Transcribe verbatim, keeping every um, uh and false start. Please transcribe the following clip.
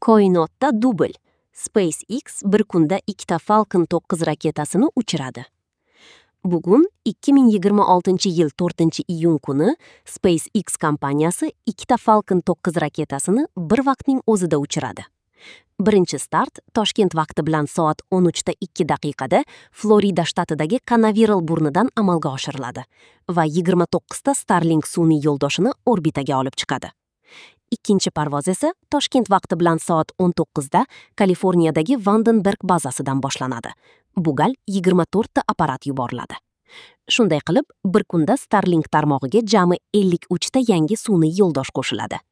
Koinotda dubl. SpaceX bir kunda ikkita Falcon to'qqiz raketasini uchiradi. Bugun ikki ming yigirma oltinchi yil to'rtinchi iyun kuni SpaceX kompaniyasi ikkita Falcon to'qqiz raketasini bir vaqtning o'zida uchiradi. Birinchi start Toshkent vaqti bilan soat o'n uchda ikki daqiqada Florida shtatidagi Kanaveral burnidan amalga oshiriladi va yigirma to'qqizta Starlink sun'iy yo'ldoshini orbitaga olib chiqadi. Ikkinchi parvoz esa Toshkent vaqti bilan soat o'n to'qqizda Kaliforniyadagi Vandenberg bazasidan boshlanadi. Bu gal yigirma to'rtta apparat yuboriladi. Shunday qilib, bir kunda Starlink tarmog'iga jami ellik uchta yangi sun'iy yo'ldosh qo'shiladi.